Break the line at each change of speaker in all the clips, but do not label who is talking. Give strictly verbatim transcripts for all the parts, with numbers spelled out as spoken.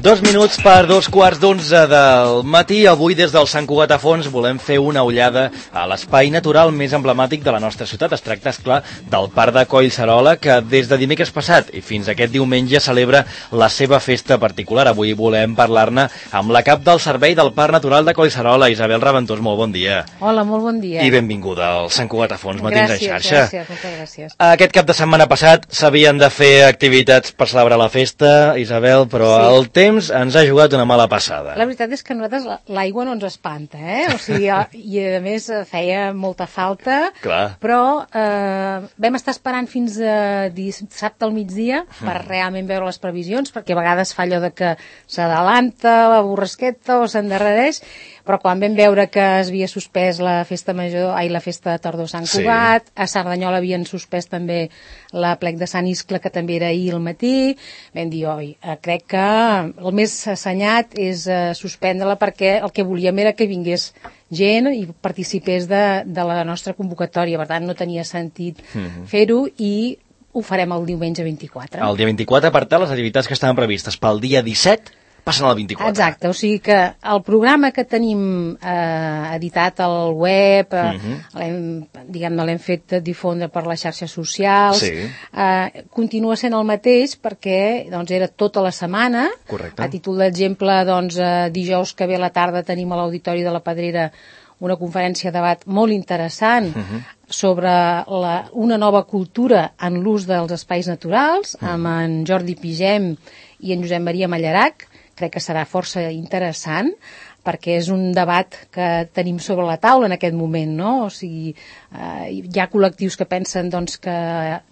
Dos minuts per dos quarts d'onze del matí. Avui des del Sant Cugat a Fons volem fer una ullada a l'espai natural més emblemàtic de la nostra ciutat. Es tracta, esclar, del Parc de Collserola, que des de dimecres passat i fins aquest diumenge celebra la seva festa particular. Avui volem parlar-ne amb la cap del Servei del Parc Natural de Collserola, Isabel Raventós. Molt bon dia.
Hola, molt bon dia.
I benvinguda al Sant Cugat a Fons, Matins en xarxa.
Gràcies, moltes gràcies.
Aquest cap de setmana passat s'havien de fer activitats per celebrar la festa, Isabel, però sí. El temps ens ha jugat una mala passada.
La veritat és que a nosaltres l'aigua no ens espanta, eh? O sigui, i a més feia molta falta.
Clar.
Però eh, vam estar esperant fins a dissabte al migdia per mm. realment veure les previsions, perquè a vegades fa allò de que s'adalanta la borrasqueta o s'endarrereix, però quan vam veure que es havia suspès la festa major, ai, la festa de tardor Sant Cugat, sí. A Cerdanyola havien suspès també la plec de Sant Iscle, que també era ahir al matí, vam dir, oi, crec que el més assenyat és uh, suspendre-la, perquè el que volíem era que vingués gent i participés de, de la nostra convocatòria, per tant no tenia sentit mm-hmm. fer-ho, i ho farem el diumenge vint-i-quatre.
El dia vint-i-quatre, per tant, les activitats que estaven previstes pel dia disset passen al vint-i-quatre.
Exacte, o sigui que el programa que tenim eh, editat al web, eh, uh-huh. l'hem, diguem-ne, l'hem fet difondre per les xarxes socials,
sí.
eh, continua sent el mateix perquè doncs, era tota la setmana.
Correcte.
A títol d'exemple, doncs, eh, dijous que ve a la tarda tenim a l'Auditori de la Pedrera una conferència de debat molt interessant uh-huh. sobre la, una nova cultura en l'ús dels espais naturals, uh-huh. amb en Jordi Pigem i en Josep Maria Mallarac. Crec que serà força interessant, perquè és un debat que tenim sobre la taula en aquest moment, no? O sigui, eh, hi ha col·lectius que pensen doncs, que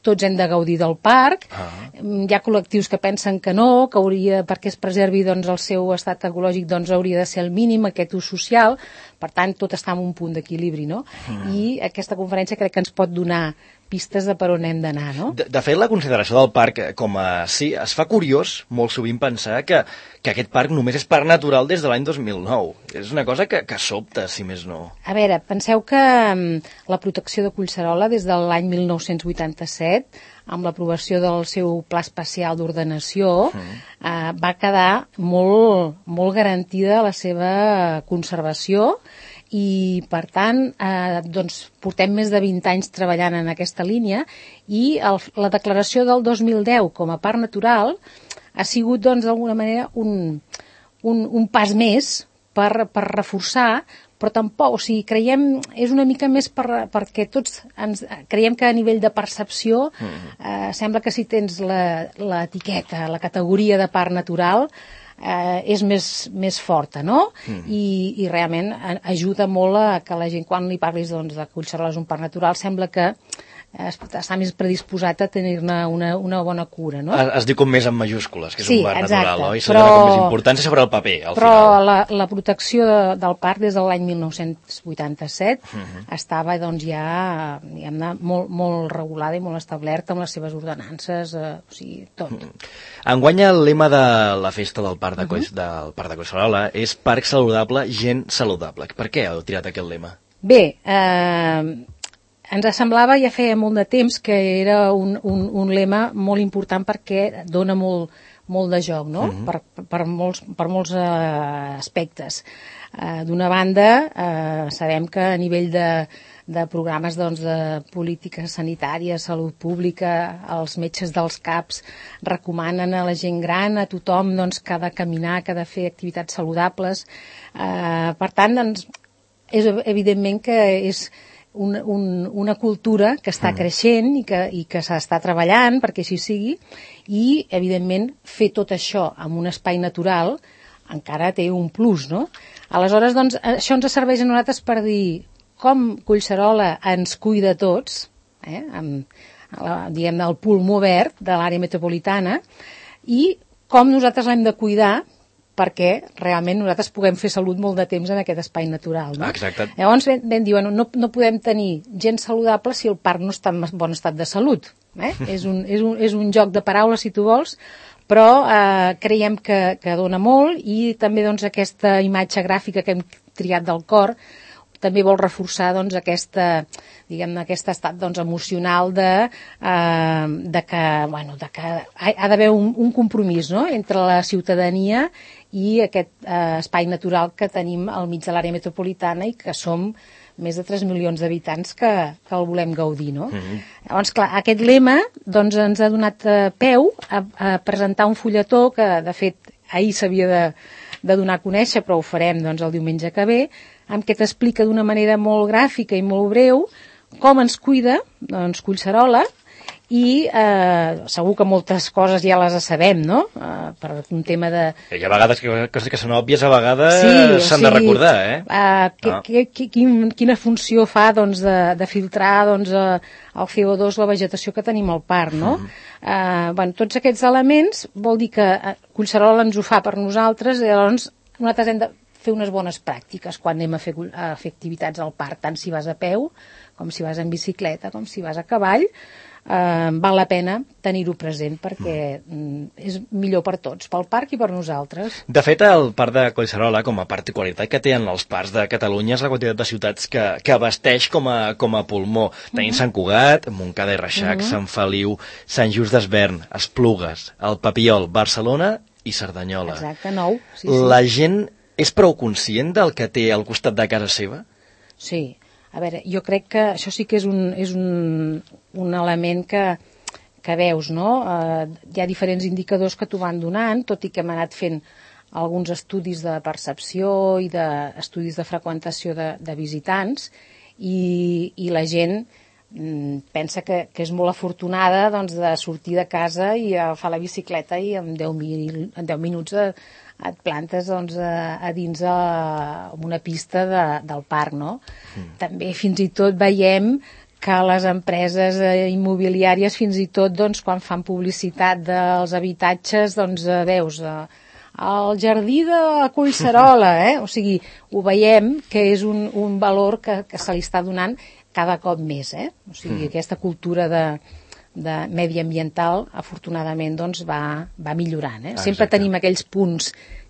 tots hem de gaudir del parc, ah. hi ha col·lectius que pensen que no, que hauria, perquè es preservi doncs, el seu estat ecològic, doncs hauria de ser el mínim, aquest ús social, per tant, tot està en un punt d'equilibri, no? Mm. I aquesta conferència crec que ens pot donar pistes de per on hem d'anar, no?
De, de fet, la consideració del parc com a sí, es fa curiós molt sovint pensar que, que aquest parc només és parc natural des de l'any dos mil nou. És una cosa que, que sobta, si més no.
A veure, penseu que um, la protecció de Collserola des de l'any mil nou-cents vuitanta-set, amb l'aprovació del seu pla especial d'ordenació, mm. eh, va quedar molt, molt garantida la seva conservació, i per tant eh, doncs, portem més de vint anys treballant en aquesta línia, i el, la declaració del dos mil deu com a parc natural ha sigut doncs, d'alguna manera un, un, un pas més per, per reforçar, però tampoc, o sigui, creiem, és una mica més per, perquè tots ens, creiem que a nivell de percepció eh, sembla que si tens l'etiqueta, la, la categoria de parc natural, Eh, és més, més forta, no? Mm. I, i realment ajuda molt a que la gent, quan li parlis doncs, de Collserola és un parc natural, sembla que eh, està més predisposat a tenir-ne una, una bona cura, no?
Es, es diu com més en majúscules, que és
sí,
un parc
exacte,
natural, oi?
Però,
com més importància sobre el paper, al
però
final.
Però la, la protecció de, del parc des de l'any mil nou-cents vuitanta-set mm-hmm. estava doncs, ja diguem-ne, molt, molt regulada i molt establerta amb les seves ordenances, eh, o sigui, tot. Mm-hmm.
Enguany el lema de la festa del Parc de, Coll, uh-huh. del Parc de Collserola és Parc saludable, gent saludable. Per què heu tirat aquest lema?
Bé, eh, ens semblava ja feia molt de temps que era un, un, un lema molt important perquè dona molt, molt de joc, no? Uh-huh. per, per molts, per molts eh, aspectes. Eh, D'una banda, eh, sabem que a nivell de de programes doncs, de política sanitària, salut pública, els metges dels CAPs recomanen a la gent gran, a tothom doncs, que ha de caminar, que ha de fer activitats saludables. Eh, per tant, doncs, és evidentment que és un, un, una cultura que està creixent i que, i que s'està treballant perquè així sigui, i evidentment fer tot això en un espai natural encara té un plus, no? Aleshores, doncs, això ens serveix a nosaltres per dir com Collserola ens cuida tots, eh, amb, diguem-ne, el pulmó verd de l'àrea metropolitana, i com nosaltres l'hem de cuidar perquè realment nosaltres puguem fer salut molt de temps en aquest espai natural, no?
Exacte.
Llavors vam dir, bueno, no, no podem tenir gent saludable si el parc no està en bon estat de salut. Eh? és, un, és, un, és un joc de paraules, si tu vols, però eh, creiem que, que dona molt, i també doncs, aquesta imatge gràfica que hem triat del cor també vol reforçar doncs, aquesta, diguem, aquest estat doncs, emocional de, eh, de que, bueno, de que ha, ha d'haver un, un compromís, no?, entre la ciutadania i aquest eh, espai natural que tenim al mig de l'àrea metropolitana i que som més de tres milions d'habitants que, que el volem gaudir, no? Mm-hmm. Llavors, clar, aquest lema doncs, ens ha donat eh, peu a, a presentar un fulletó que, de fet, ahir s'havia de, de donar a conèixer, però ho farem doncs, el diumenge que ve, en què t'explica d'una manera molt gràfica i molt breu com ens cuida doncs, Collserola, i eh, segur que moltes coses ja les sabem, no? Eh, per un tema de...
Hi ha vegades que coses que són òbvies, a vegades
sí,
s'han
sí,
de recordar, eh?
eh que,
no.
que, que, quin, quina funció fa doncs, de, de filtrar doncs, eh, el C O dos, la vegetació que tenim al parc, no? Mm. Eh, bueno, tots aquests elements vol dir que Collserola ens ho fa per nosaltres, i llavors nosaltres hem de fer unes bones pràctiques quan anem a fer, a fer activitats al parc, tant si vas a peu, com si vas en bicicleta, com si vas a cavall. Eh, val la pena tenir-ho present perquè mm. és millor per tots, pel parc i per nosaltres.
De fet, el parc de Collserola, com a particularitat que tenen els parcs de Catalunya, és la quantitat de ciutats que, que abasteix com a, com a pulmó. Tenim mm-hmm. Sant Cugat, Montcada i Reixac, mm-hmm. Sant Feliu, Sant Just d'Esvern, Esplugues, el Papiol, Barcelona i Cerdanyola.
Exacte, nou. Sí, sí.
La gent és prou conscient del que té al costat de casa seva?
Sí. A veure, jo crec que això sí que és un, és un, un element que, que veus, no? Eh, hi ha diferents indicadors que t'ho van donant, tot i que hem anat fent alguns estudis de percepció i d'estudis de, de freqüentació de, de visitants, i, i la gent mm, pensa que, que és molt afortunada doncs, de sortir de casa i agafar la bicicleta i en deu, mil, en deu minuts de, et plantes doncs, a, a dins a, a una pista de, del parc, no? Mm. També fins i tot veiem que les empreses eh, immobiliàries fins i tot doncs, quan fan publicitat dels habitatges doncs, eh, veus eh, el jardí de Collserola, eh? O sigui, ho veiem que és un, un valor que, que se li està donant cada cop més, eh? O sigui, mm. aquesta cultura de de mediambiental, afortunadament, doncs, va, va millorant. Eh? Sempre tenim aquells punts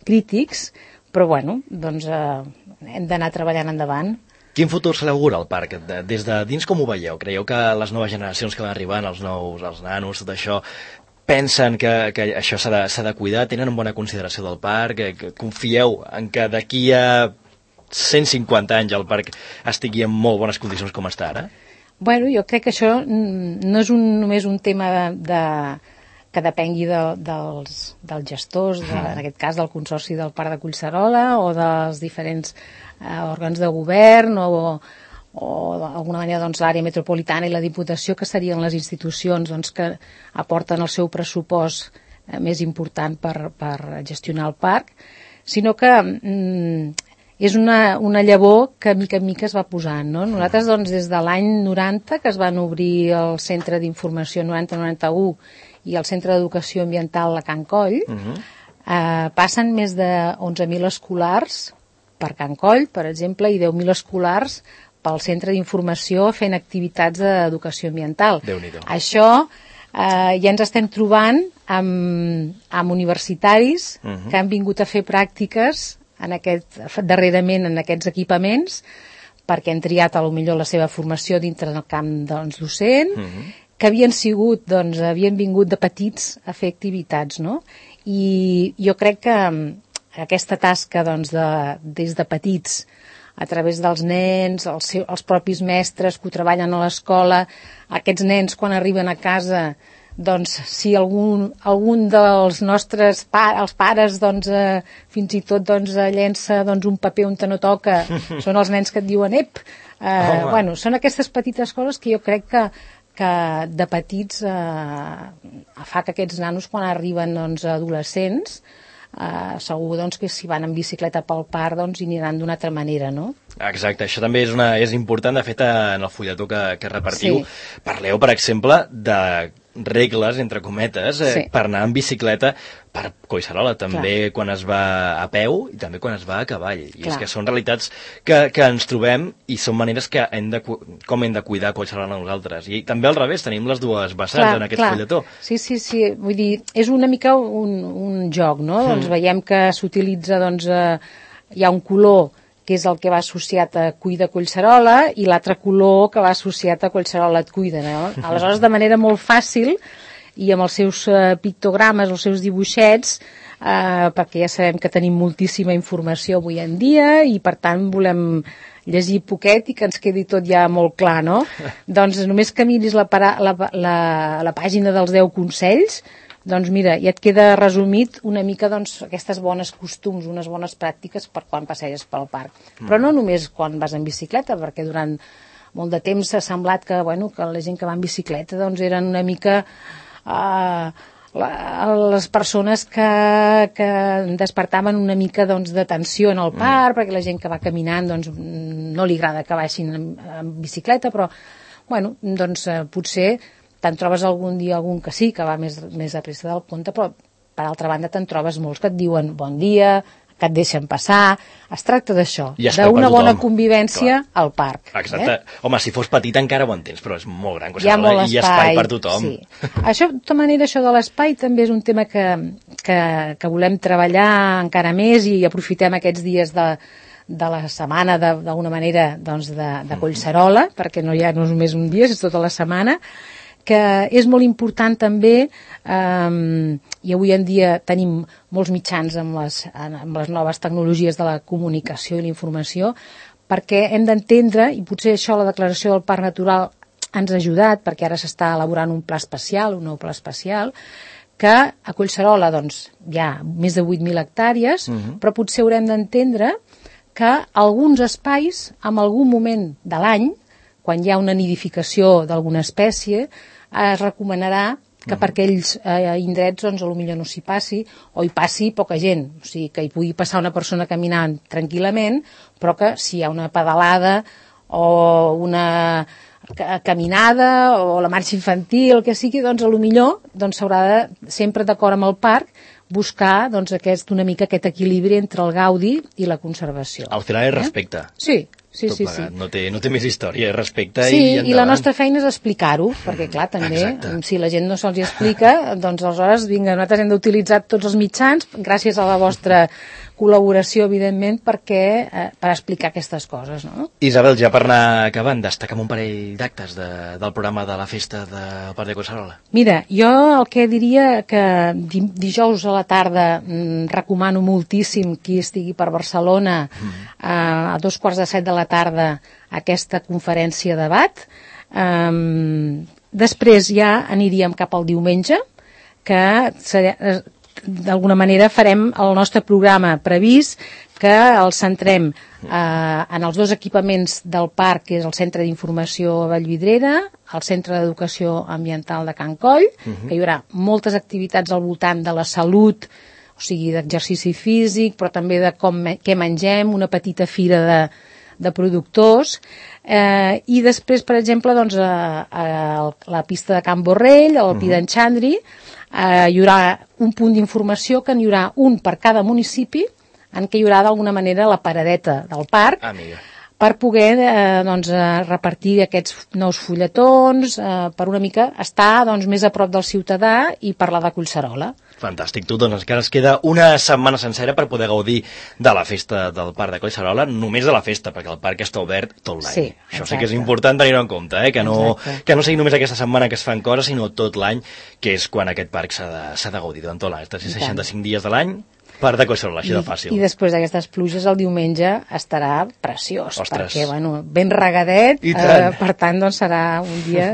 crítics, però, bueno, doncs, eh, hem d'anar treballant endavant.
Quin futur se l'augura al parc? Des de dins com ho veieu? Creieu que les noves generacions que van arribant, els nous, els nanos, tot això, pensen que, que això s'ha de, s'ha de cuidar? Tenen una bona consideració del parc? Que, que confieu en que d'aquí a cent cinquanta anys el parc estigui en molt bones condicions com està ara?
Bueno, jo crec que això no és un, només un tema de, de, que depengui de, dels, dels gestors, de, en aquest cas del Consorci del Parc de Collserola o dels diferents eh, òrgans de govern o, o d'alguna manera doncs, l'àrea metropolitana i la Diputació, que serien les institucions doncs, que aporten el seu pressupost eh, més important per, per gestionar el parc, sinó que mm, és una, una llavor que mica en mica es va posant, no? Nosaltres, doncs, des de l'any noranta, que es van obrir el Centre d'Informació noranta noranta-u i el Centre d'Educació Ambiental a Can Coll, uh-huh. eh, passen més de onze mil escolars per Can Coll, per exemple, i deu mil escolars pel Centre d'Informació fent activitats d'educació ambiental.
Déu-n'hi-do.
Això eh, ja ens estem trobant amb, amb universitaris uh-huh. que han vingut a fer pràctiques en aquest, darrerament en aquests equipaments perquè han triat a lo millor la seva formació dintre del camp doncs, docent, mm-hmm. que havien sigut, doncs, havien vingut de petits a fer activitats, no? I jo crec que aquesta tasca doncs, de, des de petits a través dels nens, els, seus, els propis mestres que ho treballen a l'escola, aquests nens quan arriben a casa, doncs si algun, algun dels nostres pa, els pares doncs, eh, fins i tot doncs, llença doncs, un paper on te no toca, són els nens que et diuen ep, eh, oh, bueno, són aquestes petites coses que jo crec que, que de petits eh, fa que aquests nanos quan arriben doncs, adolescents Uh, segur doncs, que si van en bicicleta pel parc doncs, hi aniran d'una altra manera, no?
Exacte, això també és, una, és important. De fet, en el fulletó que, que repartiu, sí. parleu, per exemple, de regles, entre cometes, eh, sí. per anar en bicicleta per Collserola, també Clar. Quan es va a peu i també quan es va a cavall. I Clar. És que són realitats que, que ens trobem i són maneres que hem de, com hem de cuidar Collserola nosaltres. I també al revés, tenim les dues vessants Clar, en aquest Clar. Fulletó.
Sí, sí, sí, vull dir, és una mica un, un joc, no? Mm. Doncs veiem que s'utilitza, doncs, eh, hi ha un color que és el que va associat a Cuida Collserola, i l'altre color que va associat a Collserola et cuida, no? Aleshores, de manera molt fàcil, i amb els seus uh, pictogrames, els seus dibuixets, uh, perquè ja sabem que tenim moltíssima informació avui en dia, i per tant volem llegir poquet i que ens quedi tot ja molt clar, no? Doncs només que miris la, para, la, la, la pàgina dels deu consells, doncs mira, ja et queda resumit una mica doncs, aquestes bones costums, unes bones pràctiques per quan passeges pel parc. Mm. Però no només quan vas en bicicleta, perquè durant molt de temps s'ha semblat que, bueno, que la gent que va en bicicleta doncs, eren una mica uh, la, les persones que, que despertaven una mica doncs, de tensió en el parc, mm. perquè la gent que va caminant doncs, no li agrada que baixin en, en bicicleta, però bueno, doncs, uh, potser te'n trobes algun dia algun que sí, que va més, més a pressa del compte, però per altra banda te'n trobes molts que et diuen bon dia, que et deixen passar. Es tracta d'això, d'una bona convivència Clar. Al parc.
Exacte. Eh? Home, si fos petit encara ho entens, però és molt gran.
Hi ha molt espai.
Hi ha espai per tothom.
Sí. Això, de tota manera, això de l'espai també és un tema que, que, que volem treballar encara més, i aprofitem aquests dies de de la setmana, d'alguna manera, doncs de, de Collserola, perquè no hi ha només un dia, és tota la setmana, que és molt important també, eh, i avui en dia tenim molts mitjans amb les, amb les noves tecnologies de la comunicació i la informació, perquè hem d'entendre, i potser això la declaració del Parc Natural ens ha ajudat, perquè ara s'està elaborant un pla especial, un nou pla especial, que a Collserola doncs, hi ha més de vuit mil hectàrees, uh-huh. però potser haurem d'entendre que alguns espais, en algun moment de l'any, quan hi ha una nidificació d'alguna espècie, es recomanarà que per aquells eh, indrets doncs, potser no s'hi passi, o hi passi poca gent, o sigui, que hi pugui passar una persona caminant tranquil·lament, però que si hi ha una pedalada o una caminada o la marxa infantil, el que sigui, doncs potser doncs, s'haurà de, sempre d'acord amb el parc, buscar doncs, aquest, una mica aquest equilibri entre el gaudi i la conservació.
Al final és respecte.
Eh? Sí, sí, sí, sí.
No té, no té més història, és respecte
sí,
i endavant.
I la nostra feina és explicar-ho, perquè clar, també, Exacte. Si la gent no se'ls explica, doncs aleshores, vinga, nosaltres hem d'utilitzar tots els mitjans, gràcies a la vostra col·laboració, evidentment, perquè, eh, per explicar aquestes coses, no?
Isabel, ja per anar acabant, destaca'm un parell d'actes de, del programa de la festa del Parc de Collserola.
Mira, jo el que diria que di, dijous a la tarda mm, recomano moltíssim qui estigui per Barcelona mm. eh, a dos quarts de set de la tarda aquesta conferència de debat. Um, després ja aniríem cap al diumenge, que serà, d'alguna manera farem el nostre programa previst, que el centrem eh, en els dos equipaments del parc, que és el Centre d'Informació a Vallvidrera, el Centre d'Educació Ambiental de Can Coll, uh-huh. que hi haurà moltes activitats al voltant de la salut, o sigui, d'exercici físic, però també de com, què mengem, una petita fira de, de productors, eh, i després, per exemple, doncs, a, a la pista de Can Borrell, al Pi d'en Xandri, eh, hi haurà un punt d'informació, que n'hi haurà un per cada municipi, en què hi haurà d'alguna manera la paradeta del parc,
Amiga.
per poder eh, doncs, eh, repartir aquests nous fulletons, eh, per una mica estar doncs, més a prop del ciutadà i parlar de Collserola.
Fantàstic, tu, doncs encara ens queda una setmana sencera per poder gaudir de la festa del Parc de Collserola, només de la festa, perquè el parc està obert tot l'any.
Sí,
Això sí que és important tenir-ho en compte, eh? que, no, que no sigui només aquesta setmana que es fan coses, sinó tot l'any, que és quan aquest parc s'ha de, s'ha de gaudir durant tot l'any, tres-cents seixanta-cinc dies de l'any, Parc de Collserola, així de fàcil.
I, I després d'aquestes pluges, el diumenge estarà preciós,
Ostres.
perquè, bueno, ben regadet, eh, per tant, doncs serà un dia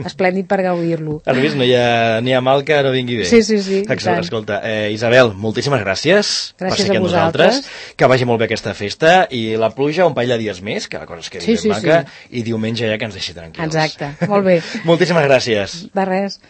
esplèndid per gaudir-lo.
Has vist? No hi ha, ni ha mal que no vingui bé.
Sí, sí, sí.
Exacte, escolta, eh, Isabel, moltíssimes gràcies,
gràcies
per ser aquí amb nosaltres, que vagi molt bé aquesta festa, i la pluja un parell de dies més, que la cosa es quedi
sí,
ben
sí,
maca,
sí.
i diumenge ja que ens deixi tranquils.
Exacte, molt bé.
Moltíssimes gràcies.
De res.